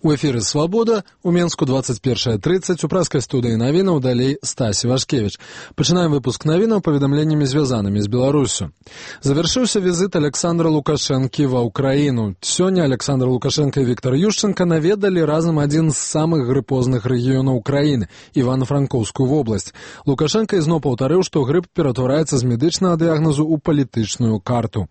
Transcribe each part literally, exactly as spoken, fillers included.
У эфіры «Свабода», у Менску двадцать першая тридцать, у праскай студыі навінаў далей Стасі Вашкевіч. Пачынаем выпуск навінаў паведамленнямі звязанымі з Беларусю. Завяршыўся візіт Александра Лукашэнкі ва ўкраіну. Сёння Александр Лукашенко і Віктор Ющенко наведалі разам адзін з самых грыпозных рэгіёнаў краіны – Івано-Франкоўскую вобласць. Лукашенко ізноў паўтарыў, што грып ператвараецца з медычнага дыягназу ў палітычную карту.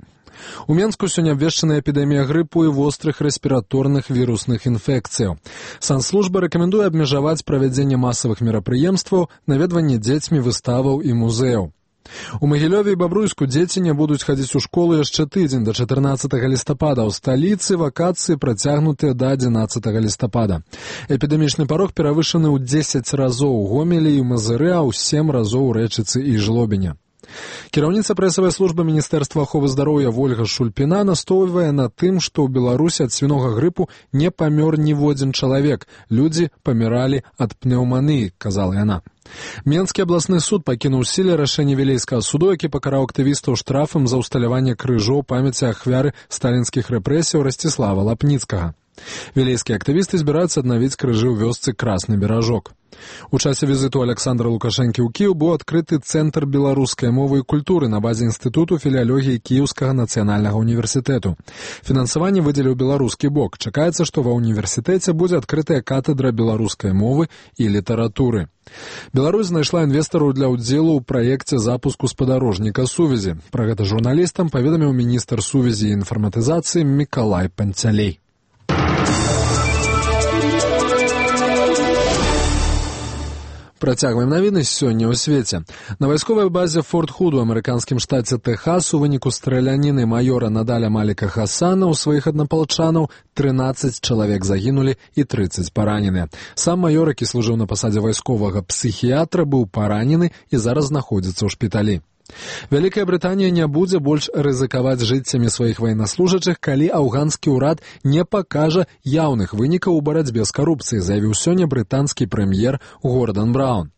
У Менску сёння абвешчана эпідэмія грыпу і вострых рэспіраторных вірусных інфекцыяў. Санслужба рэкамендуе абмежаваць правядзенне масавых мерапрыемстваў, наведванне дзецьмі выставаў і музеяў. У Магілёве і Бабруйску дзеці не будуць хадзіць у школу яшчэ тыдзень да чатырнаццатага лістапада. У сталіцы вакацыі працягнутыя да адзінаццатага лістапада. Эпідэмічны парог перавышаны ў дзесяць разоў у Гомелі і Мазыры, а ў сем разоў у Рэчыцы і Жлобіне. Кіраўніца прэсавай службы Міністэрства аховы здароўя Вольга Шульпіна настоўвае на тым, што ў Беларусі ад свінога грыпу не памёр ніводзін чалавек. Людзі паміралі ад пнеўманіі, казала яна. Менскі абласны суд пакінуў сіле рашэнне вілейскага суду, які пакараў актывістаў штрафам за ўсталяванне крыжоў памяці ахвяры сталінскіх рэпрэсіяў Расціслава Лапніцкага. Вілейскія актывісты збіраюцца аднавіць крыжы ў вёсцы Красны Беражок. У часе візіту Александра Лукашэнкі ў Кіеў быў адкрыты Цэнтр беларускай мовы і культуры на базе Інстытуту філіялогіі Кіеўскага нацыянальнага універсітэту. Фінансаванне выдзеліў беларускі бок. Чакаецца, што ва ўніверсітэце будзе адкрытая катедра беларускай мовы і літаратуры. Беларусь знайшла інвестараў для ўдзелу ў праекце запуску спадарожніка сувязі. Пра гэта журналістам паведаміў міністр сувязі і інфарматызацыі Мікалай Панцялей. Працягваем навіны сёння ў свеце. На вайсковай базе Форт Худ у амерыканскім штаце Тэхас у выніку страляніны маёра Надаля Маліка Хасана ў сваіх аднапалчанаў трынаццаць чалавек загінулі і трыццаць параненыя. Сам маёр, які служыў на пасадзе вайсковага псіхіятра, быў паранены і зараз знаходзіцца ў шпіталі. Вялікая Брытанія не будзе больш рызыкаваць жыццямі сваіх ваеннаслужачых, калі афганскі ўрад не пакажа яўных вынікаў у барацьбе з карупцыяй, заявіў сёння брытанскі прэм'ер Гордан Браўн.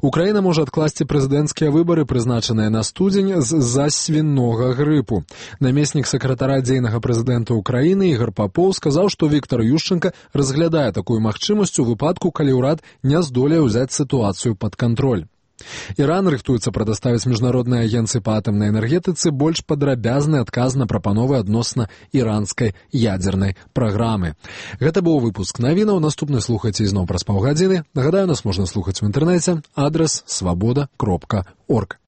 Украіна можа адкласці прэзідэнцкія выбары, прызначаныя на студзень, з-за свінога грыпу. Намеснік сакратара дзейнага прэзідэнта Украіны Ігар Папоў сказаў, што Віктор Ющенка разглядае такую магчымасць у выпадку, калі ўрад не здолее ўзяць сітуацыю пад кантроль. Іран рыхтуецца прадаставіць міжнароднай агенцыі па атамнай энергетыцы больш падрабязны адказ на прапановы адносна іранскай ядзернай праграмы. Гэта быў выпуск навінаў. Наступны слухайце ізноў праз паўгадзіны. Нагадаю, нас можна слухаць у інтэрнэце. Адрас свабода кропка орг.